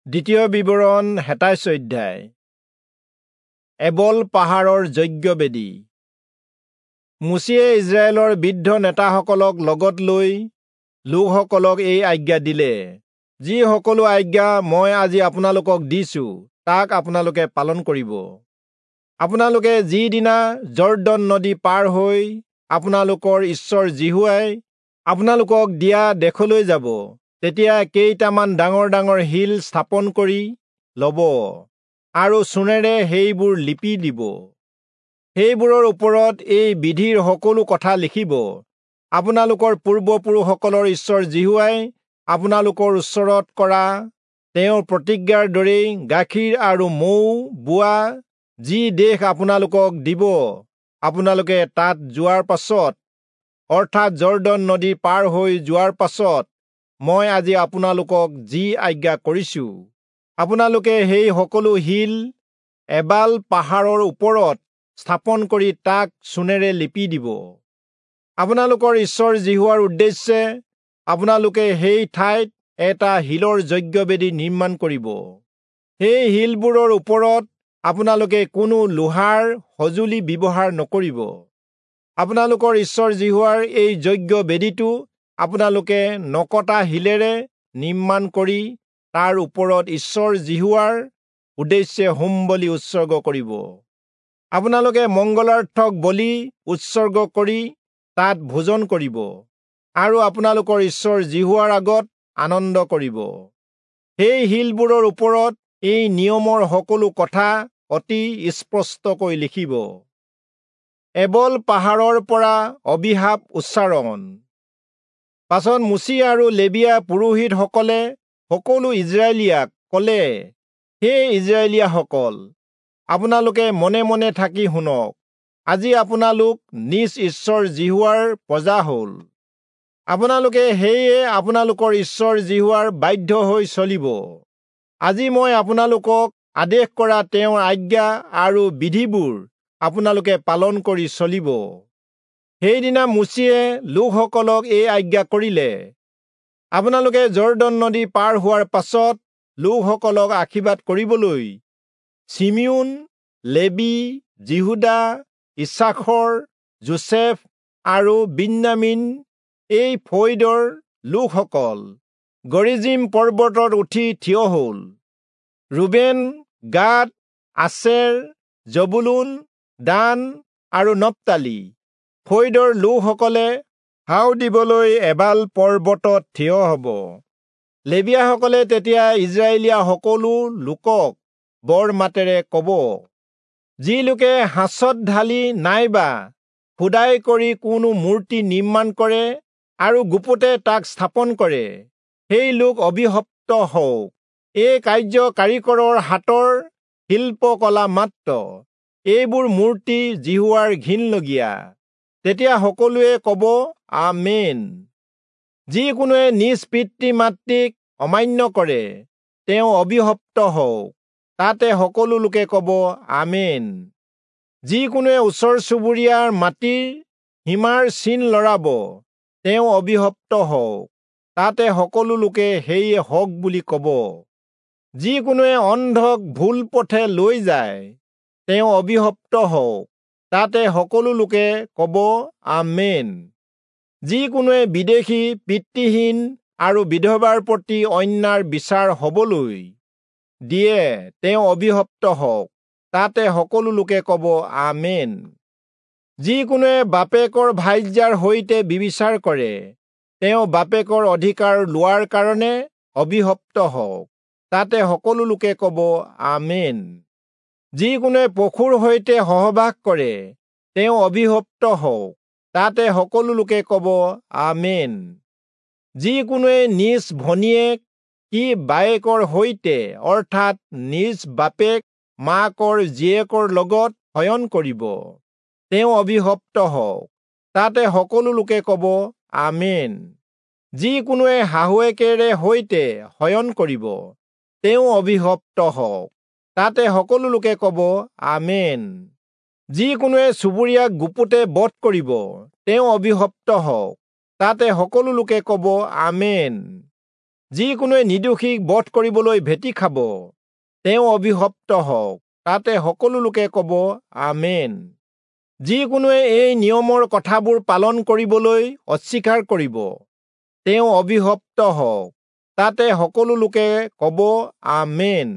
দ্বিতীয় বিৱৰণ 27 অধ্যায়। এবল পাহাৰৰ যজ্ঞবেদী। মোচিয়ে ইজৰাইলৰ বৃদ্ধ নেতাসকলক লগত লৈ লোকসকলক এই আজ্ঞা দিলে, যি সকলো আজ্ঞা মই আজি আপোনালোকক দিছো তাক আপোনালোকে পালন কৰিব। আপোনালোকে যিদিনা যৰ্দন নদী পাৰ হৈ আপোনালোকৰ ঈশ্বৰ যিহোৱাই আপোনালোকক দিয়া দেশলৈ যাব, তেতিয়া কেইটামান ডাঙৰ ডাঙৰ শিল স্থাপন কৰি ল'ব আৰু চূণেৰে সেইবোৰ লিপি দিব। সেইবোৰৰ ওপৰত এই বিধিৰ সকলো কথা লিখিব। আপোনালোকৰ পূৰ্বপুৰুষসকলৰ ঈশ্বৰ যিহোৱাই আপোনালোকৰ ওচৰত কৰা তেওঁৰ প্ৰতিজ্ঞাৰ দৰেই গাখীৰ আৰু মৌ বোৱা যি দেশ আপোনালোকক দিব, আপোনালোকে তাত যোৱাৰ পাছত, অৰ্থাৎ যৰ্দন নদী পাৰ হৈ যোৱাৰ পাছত মই আজি আপোনালোকক যি আজ্ঞা কৰিছো, আপোনালোকে সেই সকলো শিল এবাল পাহাৰৰ ওপৰত স্থাপন কৰি তাক চূণেৰে লিপি দিব। আপোনালোকৰ ঈশ্বৰ যিহোৱাৰ উদ্দেশ্যে আপোনালোকে সেই ঠাইত এটা শিলৰ যজ্ঞবেদী নিৰ্মাণ কৰিব। সেই শিলবোৰৰ ওপৰত আপোনালোকে কোনো লোহাৰ সঁজুলি ব্যৱহাৰ নকৰিব। আপোনালোকৰ ঈশ্বৰ যিহোৱাৰ এই যজ্ঞবেদীটো আপোনালোকে নকটা শিলেৰে নিৰ্মাণ কৰি তাৰ ওপৰত ঈশ্বৰ যিহোৱাৰ উদ্দেশ্যে হোম বলি উৎসৰ্গ কৰিব। আপোনালোকে মংগলাৰ্থক বলি উৎসৰ্গ কৰি তাত ভোজন কৰিব আৰু আপোনালোকৰ ঈশ্বৰ যিহোৱাৰ আগত আনন্দ কৰিব। সেই শিলবোৰৰ ওপৰত এই নিয়মৰ সকলো কথা অতি স্পষ্টকৈ লিখিব। এবল পাহাৰৰ পৰা অভিশাপ উচ্চাৰণ। পাছত মোচি আৰু লেবীয়া পুৰোহিতসকলে সকলো ইজৰাইলীয়াক ক'লে, হে ইজৰাইলীয়াসকল, আপোনালোকে মনে মনে থাকি শুনক। আজি আপোনালোক নিজ ঈশ্বৰ যিহোৱাৰ প্ৰজা হ'ল। আপোনালোকে সেয়ে আপোনালোকৰ ঈশ্বৰ যিহোৱাৰ বাধ্য হৈ চলিব। আজি মই আপোনালোকক আদেশ কৰা তেওঁৰ আজ্ঞা আৰু বিধিবোৰ আপোনালোকে পালন কৰি চলিব। সেইদিনা মোচিয়ে লোকসকলক এই আজ্ঞা কৰিলে, আপোনালোকে যৰ্দন নদী পাৰ হোৱাৰ পাছত লোকসকলক আশীৰ্বাদ কৰিবলৈ চিমিয়োন, লেবি, যিহূদা, ইচ্ছাখৰ, যোচেফ আৰু বিন্যামীন এই ফৈদৰ লোকসকল গৰিজিম পৰ্বতত উঠি থিয় হ'ল। ৰুবেন, গাদ, আছেৰ, জবুলূন, দান আৰু নপ্তালি ফৈদৰ লোকসকলে হাও দিবলৈ এবাল পৰ্বতত থিয় হ'ব। লেবীয়াসকলে তেতিয়া ইজৰাইলীয়া সকলো লোকক বৰ মাতেৰে ক'ব, যি লোকে সাঁচত ঢালি নাইবা খোদাই কৰি কোনো মূৰ্তি নিৰ্মাণ কৰে আৰু গুপুতে তাক স্থাপন কৰে, সেই লোক অভিশপ্ত হওক। এই কাৰ্য কাৰিকৰৰ হাতৰ শিল্পকলা মাত্ৰ। এইবোৰ মূৰ্তি যিহোৱাৰ ঘিণলগীয়া। তেতিয়া সকলোৱে ক'ব, আমেন। যিকোনোৱে নিজ পিতৃ মাতৃক অমান্য কৰে, তেওঁ অভিশপ্ত হওক। তাতে সকলো লোকে ক'ব, আমেন। যিকোনোৱে ওচৰ চুবুৰীয়াৰ মাটিৰ সীমাৰ চিন লৰাব, তেওঁ অভিশপ্ত হওক। তাতে সকলো লোকে সেয়ে হওক বুলি ক'ব। যিকোনোৱে অন্ধক ভুল পথে লৈ যায়, তেওঁ অভিশপ্ত হওক। তাতে সকলো লোকে ক'ব, আমেন। যিকোনোৱে বিদেশী, পিতৃহীন আৰু বিধৱাৰ প্ৰতি অন্যায়ৰ বিচাৰ হবলৈ দিয়ে, তেওঁ অভিশপ্ত হওক। তাতে সকলো লোকে ক'ব, আমেন। যিকোনোৱে বাপেকৰ ভাৰ্যাৰ সৈতে ব্যভিচাৰ কৰে, তেওঁ বাপেকৰ অধিকাৰ লোৱাৰ কাৰণে অভিশপ্ত হওক। তাতে সকলো লোকে ক'ব, আমেন। যিকোনোৱে পশুৰ সৈতে সহবাস কৰে, তেওঁ অভিশপ্ত হওক। তাতে সকলো লোকে ক'ব, আমেন। যিকোনোৱে নিজ ভনীয়েক কি বায়েকৰ সৈতে, অৰ্থাৎ নিজ বাপেক মাকৰ জীয়েকৰ লগত শয়ন কৰিব, তেওঁ অভিশপ্ত হওক। তাতে সকলো লোকে ক'ব, আমেন। যিকোনোৱে শাহুৱেকেৰে সৈতে শয়ন কৰিব, তেওঁ অভিশপ্ত হওক। তাতে সকলো লোকে ক'ব, আমেন। যিকোনোৱে চুবুৰীয়াক গুপুতে বধ কৰিব, তেওঁ অভিশপ্ত হওক। তাতে সকলো লোকে ক'ব, আমেন। যিকোনোৱে নিৰ্দোষীক বধ কৰিবলৈ ভেটি খাব, তেওঁ অভিশপ্ত হওক। তাতে সকলো লোকে ক'ব, আমেন। যিকোনোৱে এই নিয়মৰ কথাবোৰ পালন কৰিবলৈ অস্বীকাৰ কৰিব, তেওঁ অভিশপ্ত হওক। তাতে সকলো লোকে ক'ব, আমেন।